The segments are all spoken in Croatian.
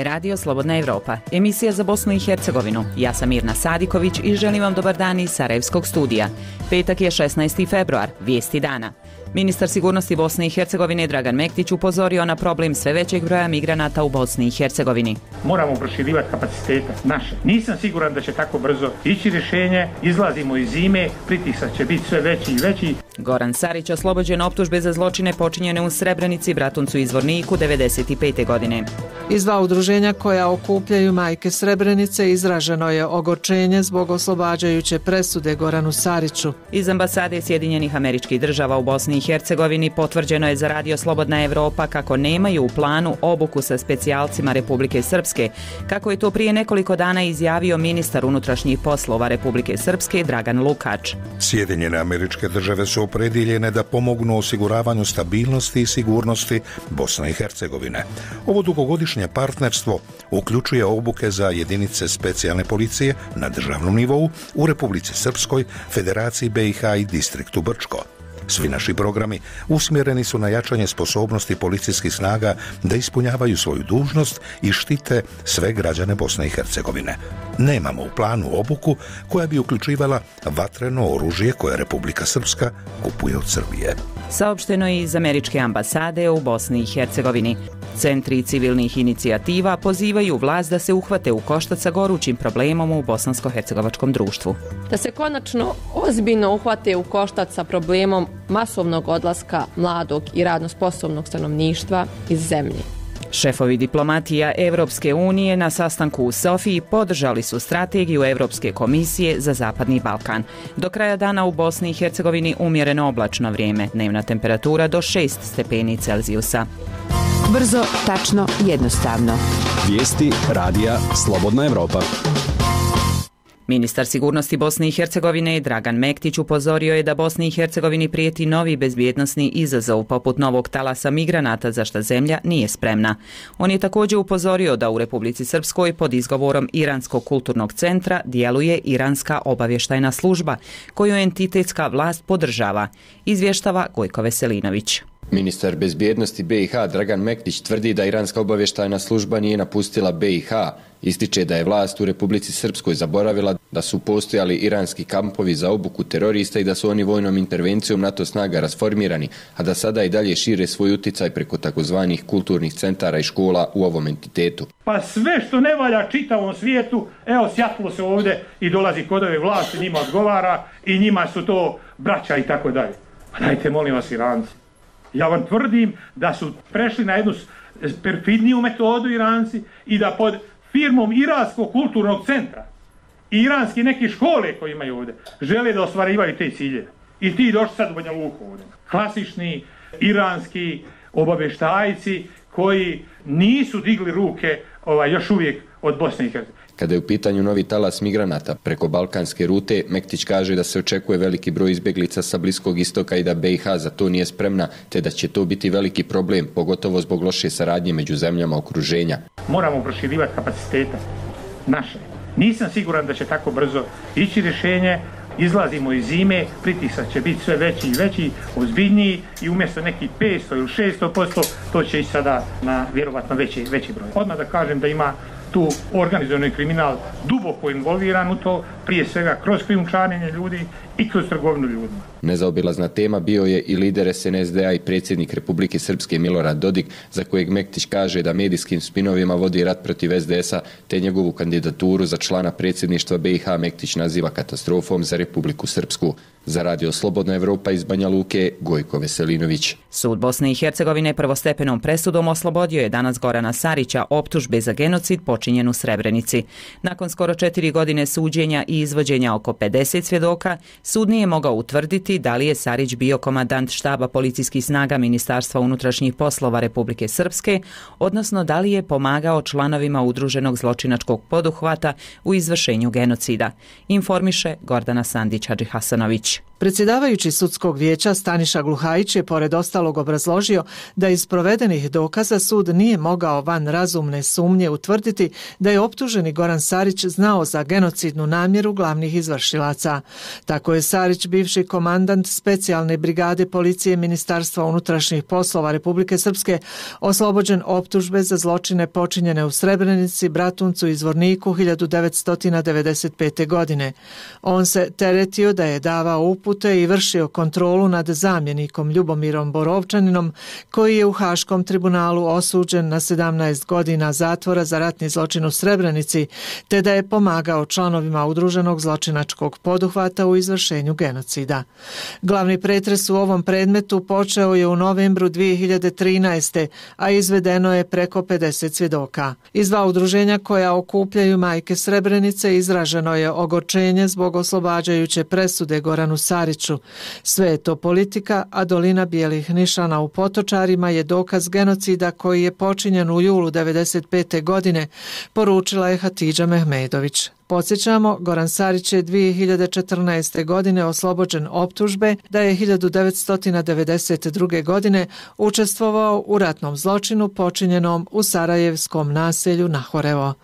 je radio Slobodna Evropa, emisija za Bosnu i Hercegovinu. Ja sam Mirna Sadiković i želim vam dobar dan iz Sarajevskog studija. Petak je 16. februar, vijesti dana. Ministar sigurnosti Bosne i Hercegovine Dragan Mektić upozorio na problem sve većeg broja migranata u Bosni i Hercegovini. Moramo proširivati kapacitete naše. Nisam siguran da će tako brzo ići rješenje. Izlazimo iz zime, pritisak će biti sve veći i veći. Goran Sarić oslobođen optužbe za zločine počinjene u Srebrenici, Bratuncu i Zvorniku 1995. godine. Iz dva udruženja koja okupljaju majke Srebrenice izraženo je ogorčenje zbog oslobađajuće presude Goranu Sariću. Iz ambasade Sjedinjenih Američkih Država u Bosni i Hercegovini potvrđeno je za radio Slobodna Evropa kako nemaju u planu obuku sa specijalcima Republike Srpske, kako je to prije nekoliko dana izjavio ministar unutrašnjih poslova Republike Srpske Dragan Lukač. Sjedinjene Američke Države su opredjeljene da pomognu osiguravanju stabilnosti i sigurnosti Bosne i Hercegovine. Ovo dugogodišnje partnerstvo uključuje obuke za jedinice specijalne policije na državnom nivou u Republici Srpskoj, Federaciji BiH i distriktu Brčko. Svi naši programi usmjereni su na jačanje sposobnosti policijskih snaga da ispunjavaju svoju dužnost i štite sve građane Bosne i Hercegovine. Nemamo u planu obuku koja bi uključivala vatreno oružje koje Republika Srpska kupuje od Srbije. Saopšteno je iz Američke ambasade u Bosni i Hercegovini. Centri civilnih inicijativa pozivaju vlast da se uhvate u koštac sa gorućim problemom u bosansko-hercegovačkom društvu. Da se konačno ozbiljno uhvate u koštac sa problemom masovnog odlaska mladog i radno sposobnog stanovništva iz zemlje. Šefovi diplomatija Evropske unije na sastanku u Sofiji podržali su strategiju Evropske komisije za Zapadni Balkan. Do kraja dana u Bosni i Hercegovini umjereno oblačno vrijeme, dnevna temperatura do 6 stepeni Celzijusa. Brzo, tačno, jednostavno. Vijesti radija Slobodna Evropa. Ministar sigurnosti Bosne i Hercegovine Dragan Mektić upozorio je da Bosni i Hercegovini prijeti novi bezbjednosni izazov poput novog talasa migranata za što zemlja nije spremna. On je također upozorio da u Republici Srpskoj pod izgovorom Iranskog kulturnog centra djeluje Iranska obavještajna služba koju entitetska vlast podržava, izvještava Gojko Veselinović. Ministar bezbjednosti BiH Dragan Mektić tvrdi da Iranska obavještajna služba nije napustila BiH. Ističe da je vlast u Republici Srpskoj zaboravila da su postojali iranski kampovi za obuku terorista i da su oni vojnom intervencijom NATO snaga rasformirani, a da sada i dalje šire svoj utjecaj preko takozvanih kulturnih centara i škola u ovom entitetu. Pa sve što ne valja čitavom svijetu, evo sjatilo se ovdje i dolazi kod ove vlasti, njima odgovara i njima su to braća i tako dalje. Pa dajte molim vas Iranci. Ja vam tvrdim da su prešli na jednu perfidniju metodu Iranci i da pod firmom Iranskog kulturnog centra i iranski neke škole koje imaju ovdje žele da ostvarivaju te ciljeve. I ti došli sad u Banja Luku ovdje. Klasični iranski obavještajci koji nisu digli ruke još uvijek od Bosne i Hercegovine. Kada je u pitanju novi talas migranata preko balkanske rute, Mektić kaže da se očekuje veliki broj izbjeglica sa Bliskog istoka i da BiH za to nije spremna, te da će to biti veliki problem, pogotovo zbog loše saradnje među zemljama okruženja. Moramo proširivati kapacitete naše. Nisam siguran da će tako brzo ići rješenje. Izlazimo iz zime, pritisak će biti sve veći i veći, ozbiljniji i umjesto nekih 500 ili 600%, to će ići sada na vjerovatno veći broj. Odmah da kažem da ima tu organizovani kriminal duboko involviran u to, prije svega kroz krijumčarenje ljudi i kroz trgovinu ljudima. Nezaobilazna tema bio je i lider SNSD-a i predsjednik Republike Srpske Milorad Dodik, za kojeg Mektić kaže da medijskim spinovima vodi rat protiv SDS-a, te njegovu kandidaturu za člana predsjedništva BiH Mektić naziva katastrofom za Republiku Srpsku. Za radio Slobodna Evropa iz Banja Luke, Gojko Veselinović. Sud Bosne i Hercegovine prvostepenom presudom oslobodio je danas Gorana Sarića optužbe za genocid počinjen u Srebrenici. Nakon skoro 4 godine suđenja i izvođenja oko 50 svjedoka, sud nije mogao utvrditi da li je Sarić bio komandant štaba policijskih snaga Ministarstva unutrašnjih poslova Republike Srpske, odnosno da li je pomagao članovima udruženog zločinačkog poduhvata u izvršenju genocida, informiše Gordana Sandić-Hadžihasanović. Predsjedavajući sudskog vijeća Staniša Gluhajić je pored ostalog obrazložio da iz provedenih dokaza sud nije mogao van razumne sumnje utvrditi da je optuženi Goran Sarić znao za genocidnu namjeru izboru glavnih izvršilaca. Tako je Sarić, bivši komandant specijalne brigade policije Ministarstva unutrašnjih poslova Republike Srpske, oslobođen optužbe za zločine počinjene u Srebrenici, Bratuncu i Zvorniku 1995. godine. On se teretio da je davao upute i vršio kontrolu nad zamjenikom Ljubomirom Borovčaninom, koji je u Haškom tribunalu osuđen na 17 godina zatvora za ratni zločin u Srebrenici, te da je pomagao članovima udruženog zločinačkog poduhvata u izvršenju genocida. Glavni pretres u ovom predmetu počeo je u novembru 2013. a izvedeno je preko 50 svjedoka. Iz dva udruženja koja okupljaju majke Srebrenice izraženo je ogorčenje zbog oslobađajuće presude Goranu Sariću. Sve je to politika, a dolina bijelih nišana u Potočarima je dokaz genocida koji je počinjen u julu 1995. godine, poručila je Hatidža Mehmedović. Podsjećamo, Goran Sarić je 2014. godine oslobođen optužbe da je 1992. godine učestvovao u ratnom zločinu počinjenom u sarajevskom naselju Nahorevo.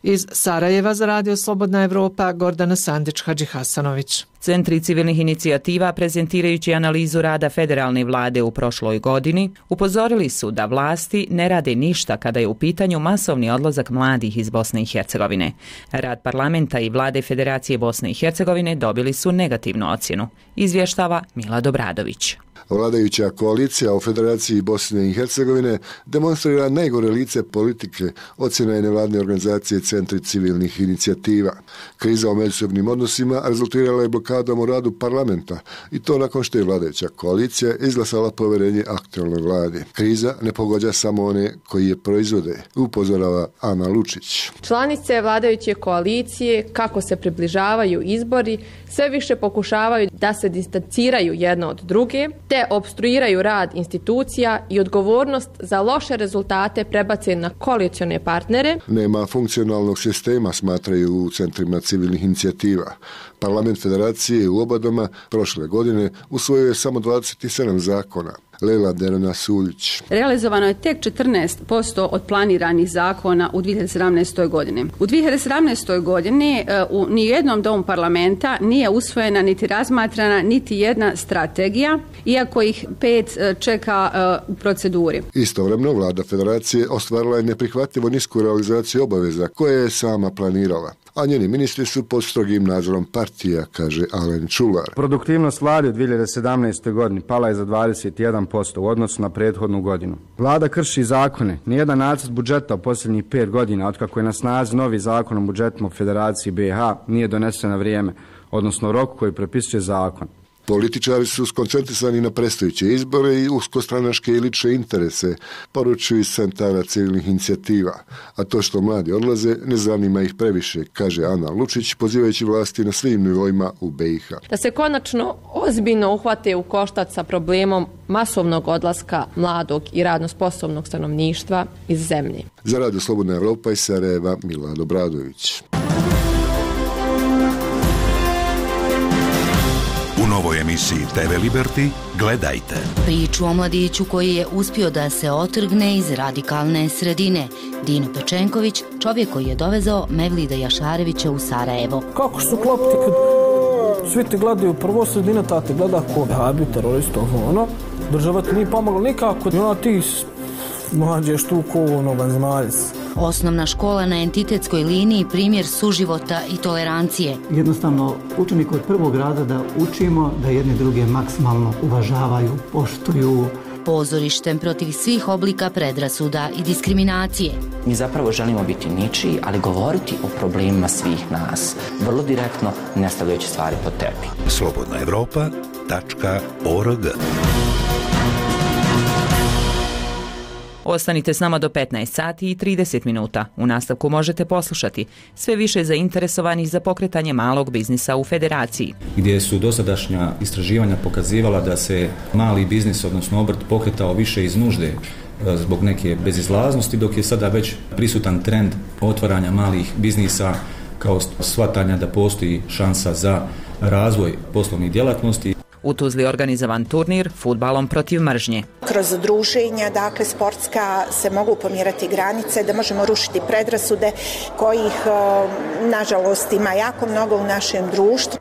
Iz Sarajeva za Radio Slobodna Evropa, Gordana Sandić-Hadžihasanović. Centri civilnih inicijativa, prezentirajući analizu rada federalne vlade u prošloj godini, upozorili su da vlasti ne rade ništa kada je u pitanju masovni odlazak mladih iz Bosne i Hercegovine. Rad parlamenta i vlade Federacije Bosne i Hercegovine dobili su negativnu ocjenu, izvještava Mila Dobradović. Vladajuća koalicija u Federaciji Bosne i Hercegovine demonstrira najgore lice politike, ocjena je nevladne organizacije Centri civilnih inicijativa. Kriza u međusobnim odnosima rezultirala je blokadom u radu parlamenta i to nakon što je vladajuća koalicija izglasala poverenje aktualnoj vladi. Kriza ne pogađa samo one koji je proizvode, upozorava Ana Lučić. Članice vladajuće koalicije, kako se približavaju izbori, sve više pokušavaju da se distanciraju jedno od druge, te opstruiraju rad institucija i odgovornost za loše rezultate prebace na koalicione partnere. Nema funkcionalnog sistema, smatraju u centrima civilnih inicijativa. Parlament Federacije u oba doma prošle godine usvojio je samo 27 zakona. Lela Derana Suljić. Realizovano je tek 14% od planiranih zakona u 2017. godini. U 2017. godini u nijednom domu parlamenta nije usvojena niti razmatrana niti jedna strategija, iako ih 5 čeka u proceduri. Istovremeno vlada Federacije ostvarila je neprihvatljivo nisku realizaciju obaveza koje je sama planirala, a njeni ministri su pod strogim nadzorom partija, kaže Alen Čular. Produktivnost vlade u 2017. godini pala je za 21% u odnosu na prethodnu godinu. Vlada krši zakone. Nijedan nacrt budžeta u posljednjih 5 godina, otkako je na snazi novi zakon o budžetima u Federaciji BiH, nije donesen na vrijeme, odnosno rok koji propisuje zakon. Političari su skoncentrisani na predstojeće izbore i uskostranačke i lične interese, poručuju iz centara civilnih inicijativa. A to što mladi odlaze ne zanima ih previše, kaže Ana Lučić, pozivajući vlasti na svim nivoima u BiH. Da se konačno ozbiljno uhvate u koštac sa problemom masovnog odlaska mladog i radno sposobnog stanovništva iz zemlje. Za Radio Slobodna Evropa iz Sarajeva, Mila Dobradović. U novoj emisiji TV Liberty gledajte priču o mladiću koji je uspio da se otrgne iz radikalne sredine. Dino Pečenković, čovjek koji je dovezao Mevlida Jašarevića u Sarajevo. Kako su klopiti kad svi te gledaju prvo sredina, ta te gleda ko habi, terorist, ono. Država ti nije pomogla nikako, i ona ti mlađeš tu ko vanzemaljc. Osnovna škola na entitetskoj liniji primjer suživota i tolerancije. Jednostavno, učenik od prvog rada da učimo da jedni druge maksimalno uvažavaju, poštuju. Pozorištem protiv svih oblika predrasuda i diskriminacije. Mi zapravo želimo biti ničiji, ali govoriti o problemima svih nas. Vrlo direktno, ne stavljajući stvari pod tepih. slobodnaevropa.org. Ostanite s nama do 15 sati i 30 minuta. U nastavku možete poslušati sve više zainteresovanih za pokretanje malog biznisa u Federaciji. Gdje su dosadašnja istraživanja pokazivala da se mali biznis, odnosno obrt, pokretao više iz nužde zbog neke bezizlaznosti, dok je sada već prisutan trend otvaranja malih biznisa kao shvatanja da postoji šansa za razvoj poslovnih djelatnosti. U Tuzli organizovan turnir fudbalom protiv mržnje. Kroz druženja, dakle sportska, se mogu pomirati granice, da možemo rušiti predrasude kojih nažalost ima jako mnogo u našem društvu.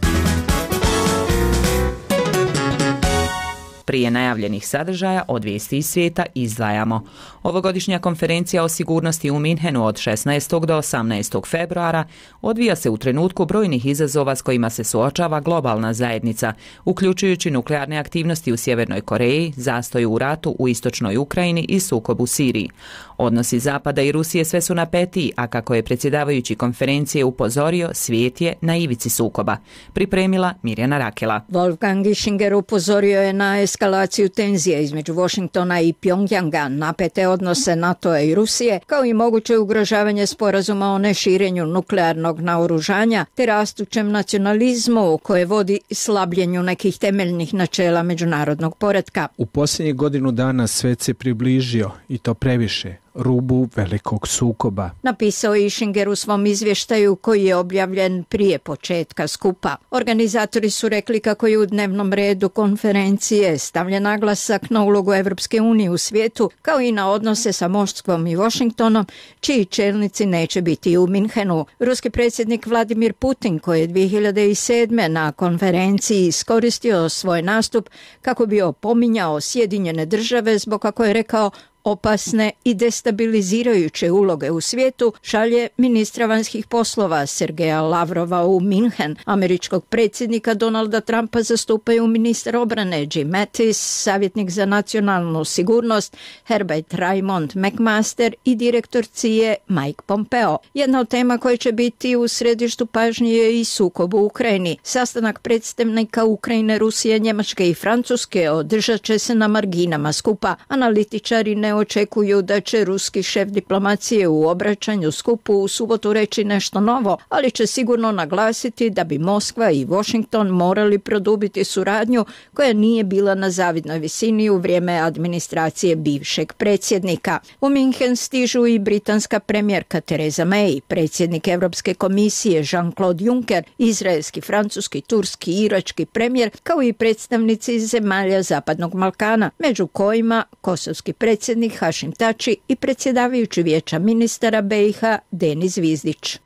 Prije najavljenih sadržaja od vijesti iz svijeta izdvajamo. Ovogodišnja konferencija o sigurnosti u Minhenu od 16. do 18. februara odvija se u trenutku brojnih izazova s kojima se suočava globalna zajednica, uključujući nuklearne aktivnosti u Sjevernoj Koreji, zastoj u ratu u istočnoj Ukrajini i sukob u Siriji. Odnosi Zapada i Rusije sve su napetiji, a kako je predsjedavajući konferencije upozorio, svijet je na ivici sukoba. Pripremila Mirjana Rakela. Wolfgang Ischinger upozorio je na eskalaciju tenzija između Washingtona i Pjongjanga, napete odnose NATO-a i Rusije, kao i moguće ugrožavanje sporazuma o neširenju nuklearnog naoružanja, te rastućem nacionalizmu koje vodi slabljenju nekih temeljnih načela međunarodnog poretka. U posljednjih godinu dana svet se približio, i to previše, rubu velikog sukoba. Napisao je Ischinger u svom izvještaju koji je objavljen prije početka skupa. Organizatori su rekli kako je u dnevnom redu konferencije stavljen naglasak na ulogu Evropske unije u svijetu, kao i na odnose sa Moskvom i Washingtonom, čiji čelnici neće biti u Minhenu. Ruski predsjednik Vladimir Putin, koji je 2007. na konferenciji iskoristio svoj nastup kako bi opominjao Sjedinjene države zbog, kako je rekao, opasne i destabilizirajuće uloge u svijetu, šalje ministra vanjskih poslova Sergeja Lavrova u Minhen. Američkog predsjednika Donalda Trumpa zastupaju ministar obrane Jim Mattis, savjetnik za nacionalnu sigurnost Herbert Raymond McMaster i direktor CIA Mike Pompeo. Jedna od tema koja će biti u središtu pažnje je i sukob u Ukrajini. Sastanak predstavnika Ukrajine, Rusije, Njemačke i Francuske održat će se na marginama skupa. Analitičari ne očekuju da će ruski šef diplomacije u obraćanju skupu u subotu reći nešto novo, ali će sigurno naglasiti da bi Moskva i Washington morali produbiti suradnju koja nije bila na zavidnoj visini u vrijeme administracije bivšeg predsjednika. U Minhen stižu i britanska premijerka Theresa May, predsjednik Europske komisije Jean-Claude Juncker, izraelski, francuski, turski i irački premijer, kao i predstavnici zemalja Zapadnog Balkana, među kojima kosovski predsjednik Hašim Tači i predsjedavajući Vijeća ministara BiH Denis Zvizdić.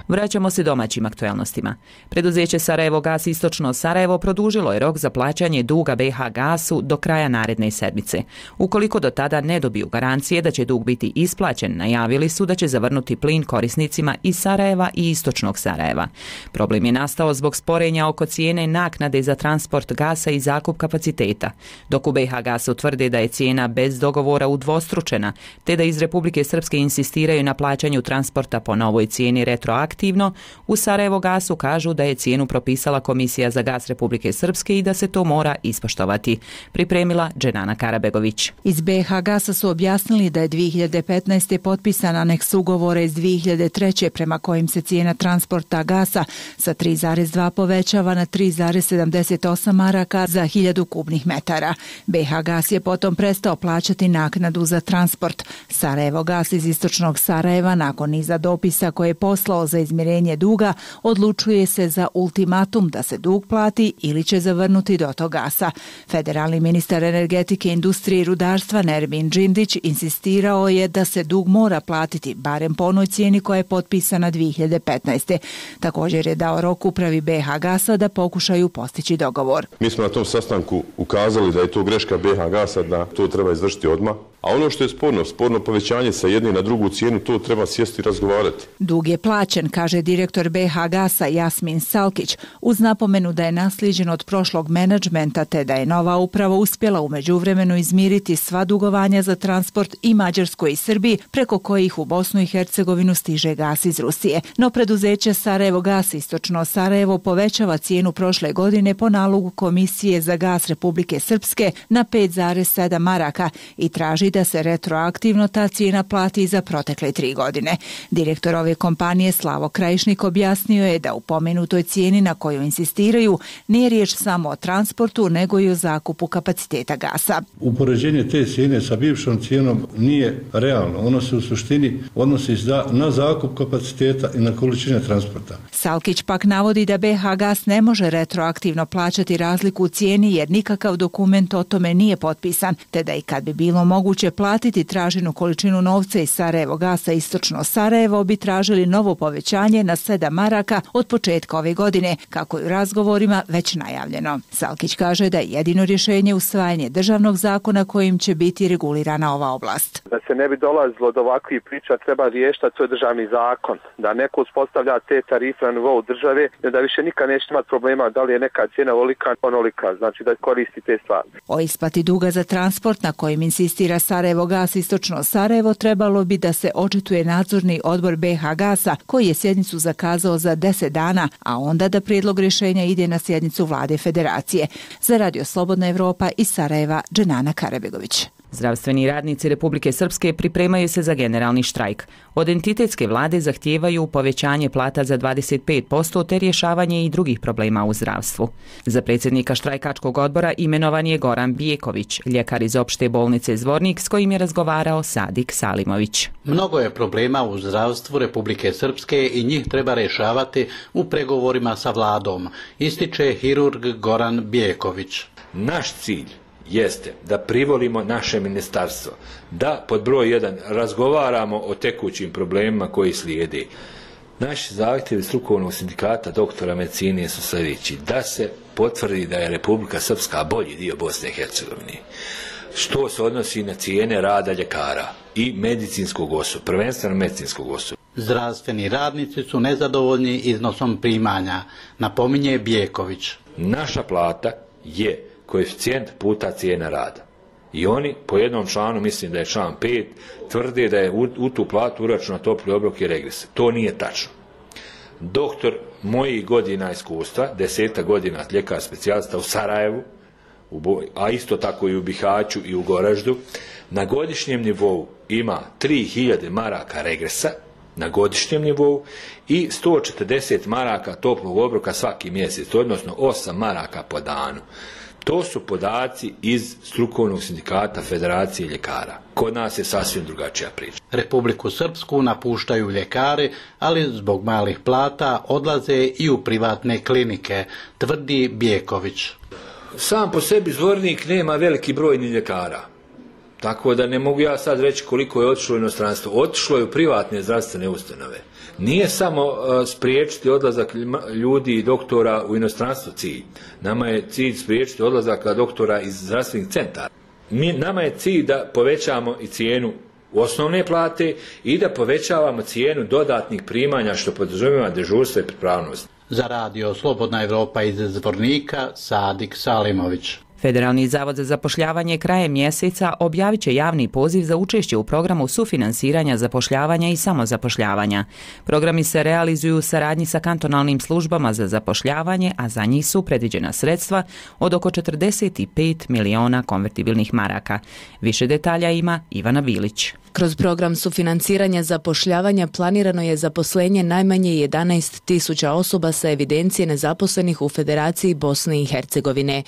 Vraćamo se domaćim aktualnostima. Preduzeće Sarajevo Gas Istočno Sarajevo produžilo je rok za plaćanje duga BiH Gasu do kraja naredne sedmice. Ukoliko do tada ne dobiju garancije da će dug biti isplaćen, najavili su da će zavrnuti plin korisnicima iz Sarajeva i Istočnog Sarajeva. Problem je nastao zbog sporenja oko cijene naknade za transport gasa i zakup kapaciteta. Dok u BiH Gasu tvrde da je cijena bez dogovora udvostručena, te da iz Republike Srpske insistiraju na plaćanju transporta po novoj cijeni retroaktivno, u Sarajevo Gasu kažu da je cijenu propisala Komisija za gas Republike Srpske i da se to mora ispoštovati. Pripremila Dženana Karabegović. Iz BiH Gasa su objasnili da je 2015. potpisan aneks ugovora iz 2003. prema kojim se cijena transporta gasa sa 3,2 povećava na 3,78 maraka za 1000 kubnih metara. BiH Gas je potom prestao plaćati naknadu za transport. Sarajevo Gas iz Istočnog Sarajeva nakon niza dopisa koje je poslao za izmirenje duga odlučuje se za ultimatum da se dug plati ili će zavrnuti dotok gasa. Federalni ministar energetike, industrije i rudarstva Nermin Džindić insistirao je da se dug mora platiti barem po onoj cijeni koja je potpisana 2015. Također je dao rok upravi BiH Gasa da pokušaju postići dogovor. Mi smo na tom sastanku ukazali da je to greška BiH Gasa, da to treba izvršiti odmah. A ono što je sporno povećanje sa jedne na drugu cijenu, to treba sjesti i razgovarati. Dug je plaćen, kaže direktor BiH Gasa Jasmin Salkić, uz napomenu da je naslijeđen od prošlog menadžmenta te da je nova uprava uspjela u međuvremenu izmiriti sva dugovanja za transport i Mađarskoj i Srbiji, preko kojih u Bosnu i Hercegovinu stiže gas iz Rusije. No preduzeće Sarajevo Gas Istočno Sarajevo povećava cijenu prošle godine po nalogu Komisije za gas Republike Srpske na 5,7 maraka i traži da se retroaktivno ta cijena plati za protekle 3 godine. Direktor ove kompanije Slavo Ivo Krajišnik objasnio je da u pomenutoj cijeni na koju insistiraju nije riječ samo o transportu, nego i o zakupu kapaciteta gasa. Upoređenje te cijene sa bivšom cijenom nije realno. Ono se u suštini odnosi na zakup kapaciteta i na količine transporta. Salkić pak navodi da BH Gas ne može retroaktivno plaćati razliku u cijeni jer nikakav dokument o tome nije potpisan, te da i kad bi bilo moguće platiti traženu količinu novca iz Sarajevo Gasa Istočno Sarajevo bi tražili novo povećanje na 7 maraka od početka ove godine, kako je u razgovorima već najavljeno. Salkić kaže da je jedino rješenje usvajanje državnog zakona kojim će biti regulirana ova oblast. Da se ne bi dolazilo do ovakvih priča, treba riješiti, to je državni zakon. Da neko uspostavlja te tarife na nivou države, da više nikad neće imati problema da li je neka cijena ovolika, onolika, znači da koristi te stvari. O isplati duga za transport na kojim insistira Sarajevo Gas Istočno Sarajevo trebalo bi da se očituje nadzorni odbor BH Gasa koji je sjednicu zakazao za 10 dana, a onda da prijedlog rješenja ide na sjednicu Vlade Federacije. Za Radio Slobodna Evropa iz Sarajeva, Dženana Karabegović. Zdravstveni radnici Republike Srpske pripremaju se za generalni štrajk. Od entitetske vlade zahtijevaju povećanje plata za 25% te rješavanje i drugih problema u zdravstvu. Za predsjednika štrajkačkog odbora imenovan je Goran Bijeković, ljekar iz opšte bolnice Zvornik s kojim je razgovarao Sadik Salimović. Mnogo je problema u zdravstvu Republike Srpske i njih treba rješavati u pregovorima sa vladom, ističe hirurg Goran Bijeković. Naš cilj jeste da privolimo naše ministarstvo, da pod broj 1 razgovaramo o tekućim problemima koji slijede. Naši zahtjevi strukovnog sindikata doktora medicine su sljedeći: da se potvrdi da je Republika Srpska bolji dio Bosne i Hercegovine, što se odnosi na cijene rada ljekara i medicinskog osoblja, prvenstveno medicinskog osoblja. Zdravstveni radnici su nezadovoljni iznosom primanja, napominje Bijeković. Naša plata je koeficijent puta cijena rada. I oni po jednom članu, mislim da je član 5, tvrde da je u tu platu uračunat topli obrok i regres. To nije tačno. Doktor mojih godina iskustva, 10 godina ljekar specijalista u Sarajevu, a isto tako i u Bihaću i u Goraždu, na godišnjem nivou ima 3000 maraka regresa, na godišnjem nivou, i 140 maraka toplog obroka svaki mjesec, odnosno 8 maraka po danu. To su podaci iz strukovnog sindikata Federacije ljekara. Kod nas je sasvim drugačija priča. Republiku Srpsku napuštaju ljekari, ali zbog malih plata odlaze i u privatne klinike, tvrdi Bijeković. Sam po sebi Zvornik nema veliki broj ni ljekara. Tako da ne mogu ja sad reći koliko je otišlo u inostranstvo. Otišlo je u privatne zdravstvene ustanove. Nije samo spriječiti odlazak ljudi i doktora u inostranstvo cilj. Nama je cilj spriječiti odlazak doktora iz zdravstvenih centara. Nama je cilj da povećamo i cijenu osnovne plate i da povećavamo cijenu dodatnih primanja što podrazumijeva dežurstvo i pripravnost. Za Radio Slobodna Evropa iz Zvornika, Sadik Salimović. Federalni zavod za zapošljavanje krajem mjeseca objavit će javni poziv za učešće u programu sufinansiranja zapošljavanja i samozapošljavanja. Programi se realizuju u saradnji sa kantonalnim službama za zapošljavanje, a za njih su predviđena sredstva od oko 45 miliona konvertibilnih maraka. Više detalja ima Ivana Bilić. Kroz program sufinanciranja zapošljavanja planirano je zaposlenje najmanje 11.000 osoba sa evidencije nezaposlenih u Federaciji Bosne i Hercegovine.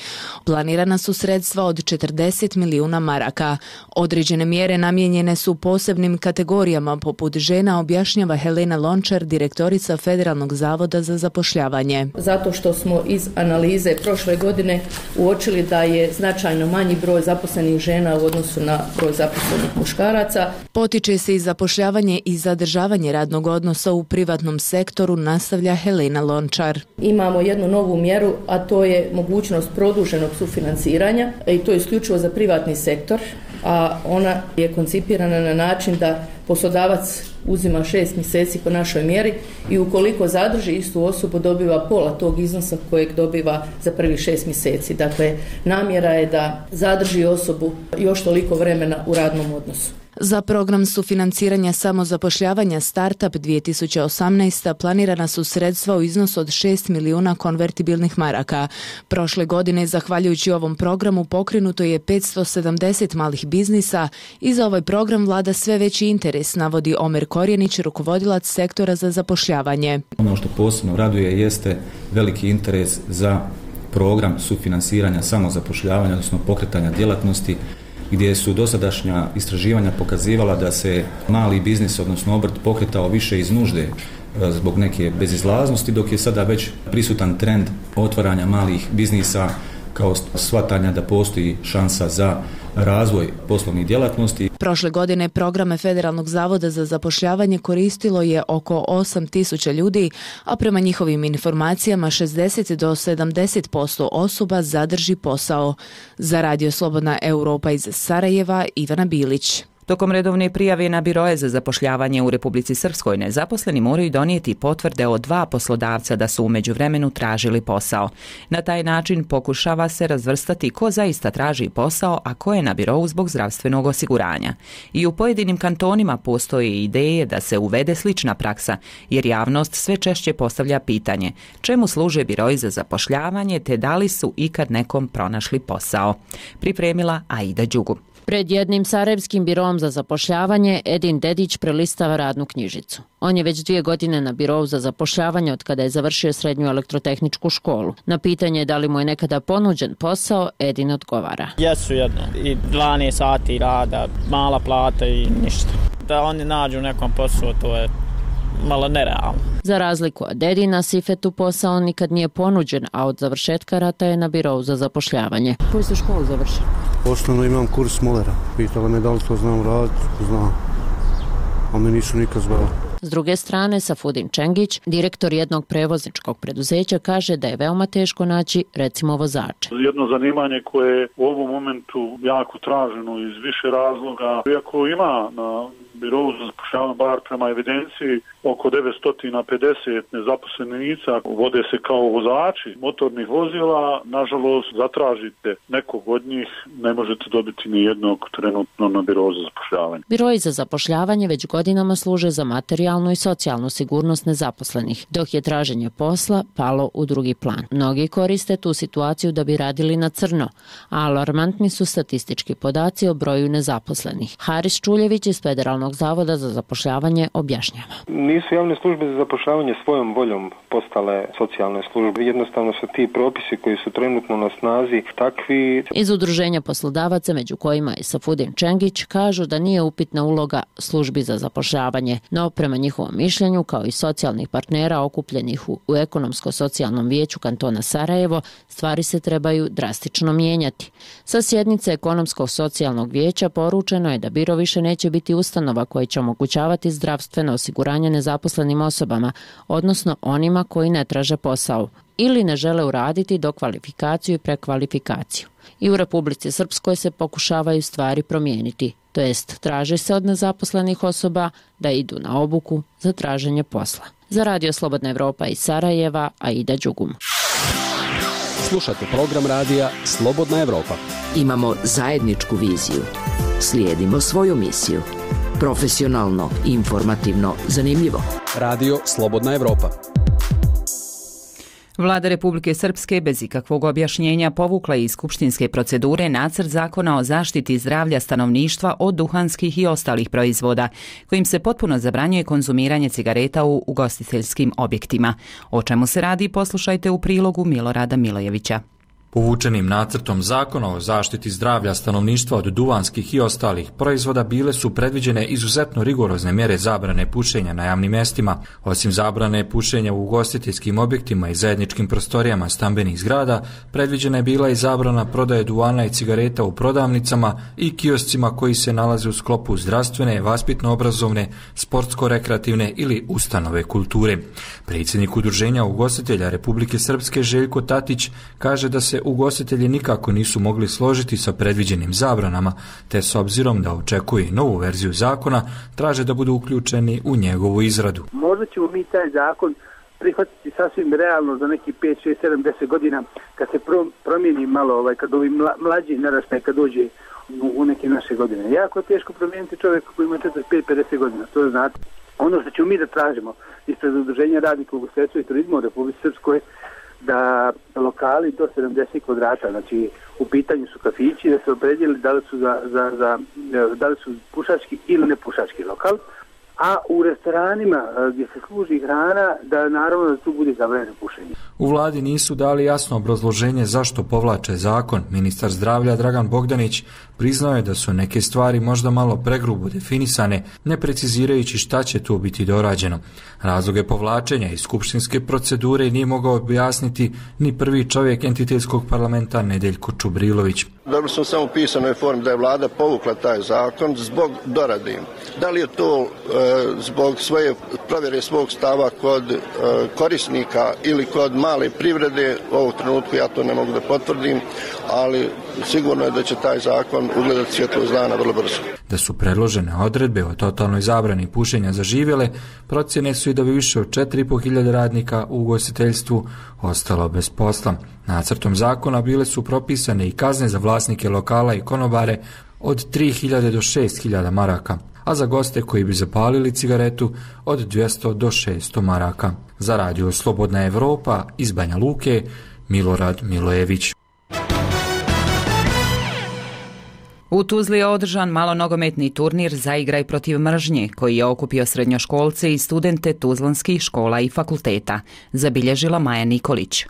Planirana su sredstva od 40 milijuna maraka. Određene mjere namijenjene su posebnim kategorijama poput žena, objašnjava Helena Lončar, direktorica Federalnog zavoda za zapošljavanje. Zato što smo iz analize prošle godine uočili da je značajno manji broj zaposlenih žena u odnosu na broj zaposlenih muškaraca. Potiče se i zapošljavanje i zadržavanje radnog odnosa u privatnom sektoru, nastavlja Helena Lončar. Imamo jednu novu mjeru, a to je mogućnost produženog sufinanciranja i to je isključivo za privatni sektor, a ona je koncipirana na način da poslodavac uzima 6 mjeseci po našoj mjeri i ukoliko zadrži istu osobu dobiva pola tog iznosa kojeg dobiva za prvih 6 mjeseci. Dakle, namjera je da zadrži osobu još toliko vremena u radnom odnosu. Za program sufinanciranja samozapošljavanja Startup 2018. planirana su sredstva u iznosu od 6 milijuna konvertibilnih maraka. Prošle godine, zahvaljujući ovom programu, pokrenuto je 570 malih biznisa i za ovaj program vlada sve veći interes, navodi Omer Korjenić, rukovodilac sektora za zapošljavanje. Ono što posebno raduje jeste veliki interes za program sufinansiranja samozapošljavanja, odnosno pokretanja djelatnosti, gdje su dosadašnja istraživanja pokazivala da se mali biznis, odnosno obrt, pokretao više iz nužde zbog neke bezizlaznosti, dok je sada već prisutan trend otvaranja malih biznisa kao shvatanja da postoji šansa za razvoj poslovnih djelatnosti. Prošle godine programe Federalnog zavoda za zapošljavanje koristilo je oko 8.000 ljudi, a prema njihovim informacijama 60 do 70% osoba zadrži posao. Za Radio Slobodna Europa iz Sarajeva, Ivana Bilić. Tokom redovne prijave na biroje za zapošljavanje u Republici Srpskoj nezaposleni moraju donijeti potvrde od 2 poslodavca da su u međuvremenu tražili posao. Na taj način pokušava se razvrstati ko zaista traži posao, a ko je na birou zbog zdravstvenog osiguranja. I u pojedinim kantonima postoje ideje da se uvede slična praksa, jer javnost sve češće postavlja pitanje čemu služe biroji za zapošljavanje te da li su ikad nekom pronašli posao. Pripremila Aida Đugu. Pred jednim sarajevskim biroom za zapošljavanje Edin Dedić prelistava radnu knjižicu. On je već 2 godine na birou za zapošljavanje od kada je završio srednju elektrotehničku školu. Na pitanje da li mu je nekada ponuđen posao, Edin odgovara. Jesu jedno. I 12 sati rada, mala plata i ništa. Da oni nađu nekom poslu, to je malo nerealno. Za razliku od Edina, Sifetu posao nikad nije ponuđen, a od završetka rata je na birou za zapošljavanje. Koju ste školu završili? Osnovno imam kurs molera. Pitala me da li to znam raditi, znam. A me nisu nikad zvali. S druge strane, Safudin Čengić, direktor jednog prevozničkog preduzeća, kaže da je veoma teško naći, recimo, vozače. Jedno zanimanje koje je u ovom momentu jako traženo iz više razloga. Iako ima na birovu za zapošljavanje, bar prema evidenciji, oko 950 nezaposlenih lica vode se kao vozači motornih vozila. Nažalost, zatražite nekog od njih, ne možete dobiti ni jednog trenutno na birovu za zapošljavanje. Biroji za zapošljavanje već godinama služe za materijalnu i socijalnu sigurnost nezaposlenih, dok je traženje posla palo u drugi plan. Mnogi koriste tu situaciju da bi radili na crno, a alarmantni su statistički podaci o broju nezaposlenih. Haris Čuljević iz Federalnog zavoda za zapošljavanje objašnjava. Nisu javne službe za zapošljavanje svojom voljom postale socijalne službe. Jednostavno su ti propisi koji su trenutno na snazi takvi. Iz udruženja poslodavaca, među kojima je Safudin Čengić, kažu da nije upitna uloga službi za zapošljavanje, no prema njihovom mišljenju, kao i socijalnih partnera okupljenih u ekonomsko-socijalnom vijeću kantona Sarajevo, stvari se trebaju drastično mijenjati. Sa sjednice ekonomsko-socijalnog vijeća poručeno je da biro više neće biti ustanova koja će omogućavati zdravstveno osiguranje nezaposlenim osobama, odnosno onima koji ne traže posao ili ne žele uraditi dokvalifikaciju i prekvalifikaciju. I u Republici Srpskoj se pokušavaju stvari promijeniti, to jest traži se od nezaposlenih osoba da idu na obuku za traženje posla. Za Radio Slobodna Evropa iz Sarajeva, Aida Đugum. Slušate program radija Slobodna Evropa. Imamo zajedničku viziju. Slijedimo svoju misiju. Profesionalno, informativno, zanimljivo. Radio Slobodna Evropa. Vlada Republike Srpske bez ikakvog objašnjenja povukla iz skupštinske procedure nacrt zakona o zaštiti zdravlja stanovništva od duhanskih i ostalih proizvoda, kojim se potpuno zabranjuje konzumiranje cigareta u ugostiteljskim objektima. O čemu se radi, poslušajte u prilogu Milorada Milojevića. Povučenim nacrtom zakona o zaštiti zdravlja stanovništva od duvanskih i ostalih proizvoda bile su predviđene izuzetno rigorozne mjere zabrane pušenja na javnim mjestima. Osim zabrane pušenja u ugostiteljskim objektima i zajedničkim prostorijama stambenih zgrada, predviđena je bila i zabrana prodaje duvana i cigareta u prodavnicama i kioscima koji se nalaze u sklopu zdravstvene, vaspitno-obrazovne, sportsko-rekreativne ili ustanove kulture. Predsjednik Udruženja ugostitelja Republike Srpske Željko Tatić kaže da se ugostitelji nikako nisu mogli složiti sa predviđenim zabranama, te s obzirom da očekuje novu verziju zakona, traže da budu uključeni u njegovu izradu. Možda ćemo mi taj zakon prihvatiti sasvim realno za neki 5, 6, 7, 10 godina kad se promijeni malo, kad ovi mlađi naraštaj kad dođe u neke naše godine. Jako je teško promijeniti čovjeka koji ima 45-50 godina, to znate. Ono što ćemo mi da tražimo ispred Udruženja radnika u ugostiteljstvu i turizmu u Republici Srpskoj, da lokali do 70 kvadrata, znači u pitanju su kafići, da se opredijeli da li su pušački ili ne pušački lokal, a u restoranima gdje se služi hrana, da naravno da tu bude zabranjeno pušenje. U vladi nisu dali jasno obrazloženje zašto povlače zakon. Ministar zdravlja Dragan Bogdanić priznao je da su neke stvari možda malo pregrubo definisane, ne precizirajući šta će tu biti dorađeno. Razloge povlačenja iz skupštinske procedure nije mogao objasniti ni prvi čovjek entitetskog parlamenta Nedeljko Čubrilović. Dobili smo samo u pisanoj formi da je vlada povukla taj zakon zbog dorade. Da li je to zbog svoje provjere svog stava kod korisnika ili kod male privrede, u ovom trenutku ja to ne mogu da potvrdim, ali sigurno je da će taj zakon ugledati svjetlost dana vrlo brzo. Da su predložene odredbe o totalnoj zabrani pušenja zaživjele, procjene su i da bi više od 4.500 radnika u ugostiteljstvu ostalo bez posla. Nacrtom zakona bile su propisane i kazne za vlasnike lokala i konobare od 3.000 do 6.000 maraka, a za goste koji bi zapalili cigaretu od 200 do 600 maraka. Za radio Slobodna Evropa iz Banja Luke, Milorad Milojević. U Tuzli je održan malonogometni turnir za igraj protiv mržnje, koji je okupio srednjoškolce i studente tuzlanskih škola i fakulteta, zabilježila Maja Nikolić.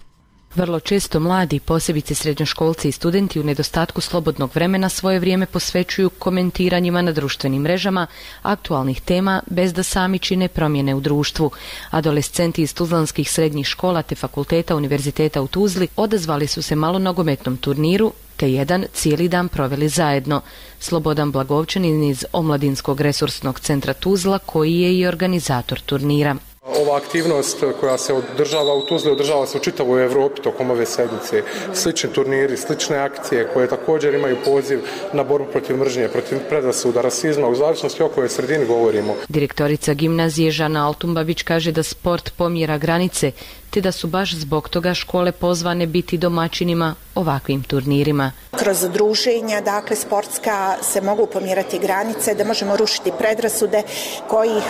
Vrlo često mladi, posebice srednjoškolci i studenti u nedostatku slobodnog vremena svoje vrijeme posvećuju komentiranjima na društvenim mrežama aktualnih tema bez da sami čine promjene u društvu. Adolescenti iz tuzlanskih srednjih škola te fakulteta Univerziteta u Tuzli odazvali su se malonogometnom turniru te jedan cijeli dan proveli zajedno. Slobodan Blagovčanin iz Omladinskog resursnog centra Tuzla, koji je i organizator turnira. Ova aktivnost koja se održava u Tuzli održava se u čitavoj Evropi tokom ove sedmice. Slični turniri, slične akcije koje također imaju poziv na borbu protiv mržnje, protiv predrasuda, rasizma, u zavisnosti o kojoj sredini govorimo. Direktorica gimnazije Žana Altumbavić kaže da sport pomjera granice, te da su baš zbog toga škole pozvane biti domaćinima ovakvim turnirima. Kroz druženja, dakle sportska, se mogu pomjerati granice, da možemo rušiti predrasude kojih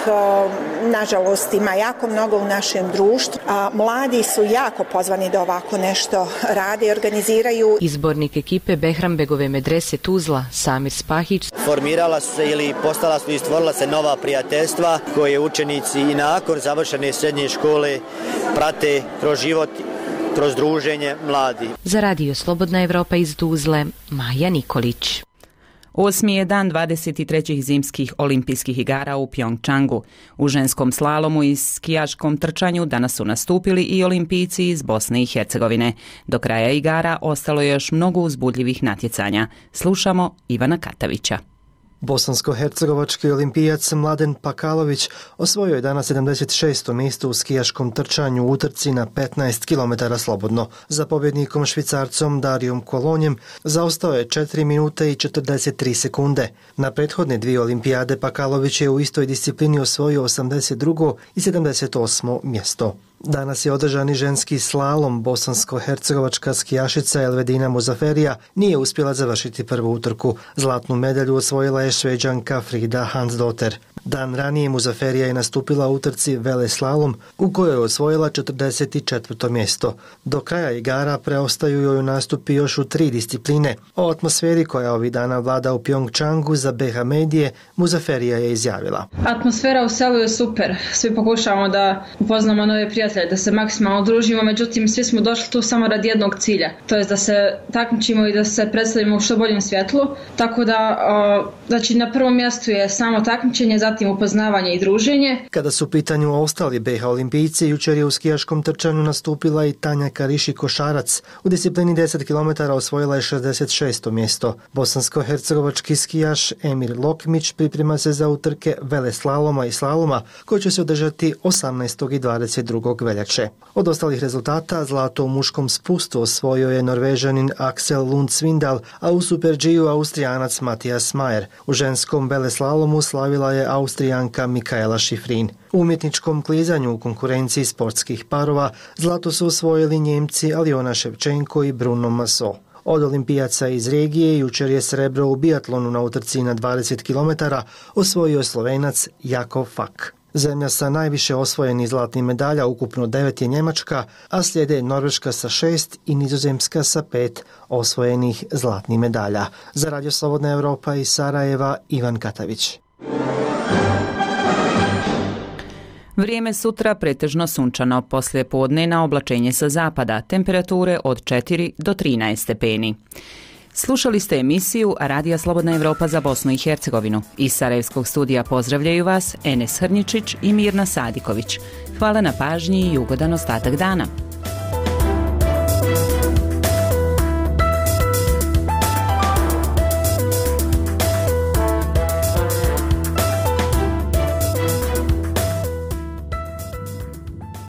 nažalost ima jako mnogo u našem društvu. Mladi su jako pozvani da ovako nešto rade i organiziraju. Izbornik ekipe Behrambegove medrese Tuzla, Samir Spahić. Formirala su se ili postala su i stvorila se nova prijateljstva koje učenici i nakon završene srednje škole prate kroz život, kroz druženje mladi. Za radio Slobodna Evropa iz Tuzle, Maja Nikolić. 8. je dan 23. zimskih olimpijskih igara u Pjongčangu. U ženskom slalomu i skijaškom trčanju danas su nastupili i olimpijci iz Bosne i Hercegovine. Do kraja igara ostalo je još mnogo uzbudljivih natjecanja. Slušamo Ivana Katavića. Bosansko-hercegovački olimpijac Mladen Pakalović osvojio je danas 76. mjesto u skijaškom trčanju u utrci na 15 km slobodno. Za pobjednikom Švicarcom Darijom Kolonjem zaostao je 4 minute i 43 sekunde. Na prethodne dvije olimpijade Pakalović je u istoj disciplini osvojio 82. i 78. mjesto. Danas je održani ženski slalom. Bosansko-hercegovačka skijašica Elvedina Muzaferija nije uspjela završiti prvu utrku. Zlatnu medalju osvojila je Šveđanka Frida Hansdotter. Dan ranije Muzaferija je nastupila u utrci veleslalom u kojoj je osvojila 44. mjesto. Do kraja igara preostaju joj nastupi još u 3 discipline. O atmosferi koja ovih dana vlada u Pjongčangu za BH medije Muzaferija je izjavila. Atmosfera u selu je super. Svi pokušavamo da upoznamo nove prijatelje, da se maksimalno družimo, međutim svi smo došli tu samo radi jednog cilja. To je da se takmičimo i da se predstavimo u što boljem svjetlu. Tako da znači na prvom mjestu je samo takmičenje, zatim upoznavanje i druženje. Kada su u pitanju ostali BH olimpijci, jučer je u skijaškom trčanju nastupila i Tanja Kariši Košarac. U disciplini 10 km osvojila je 66. mjesto. Bosansko-hercegovački skijaš Emir Lokmić priprema se za utrke veleslaloma i slaloma koji će se održati 18. i 22. veljače. Od ostalih rezultata zlato u muškom spustu osvojio je Norvežanin Axel Lund Svindal, a u Super G-u Austrijanac Matijas Majer. U ženskom veleslalomu slavila je Austrijanka Mikaela Šifrin. U umjetničkom klizanju u konkurenciji sportskih parova zlato su osvojili Njemci Aljona Ševčenko i Bruno Maso. Od olimpijaca iz regije jučer je srebro u biatlonu na utrci na 20 km osvojio Slovenac Jakov Fak. Zemlja sa najviše osvojenih zlatnih medalja, ukupno 9 je Njemačka, a slijede Norveška sa 6 i Nizozemska sa 5 osvojenih zlatnih medalja. Za Radio Slobodna Evropa iz Sarajeva, Ivan Katavić. Vrijeme sutra pretežno sunčano, poslije podne na oblačenje sa zapada, temperature od 4 do 13 stepeni. Slušali ste emisiju Radija Slobodna Evropa za Bosnu i Hercegovinu. Iz Sarajevskog studija pozdravljaju vas Enes Hrničić i Mirna Sadiković. Hvala na pažnji i ugodan ostatak dana.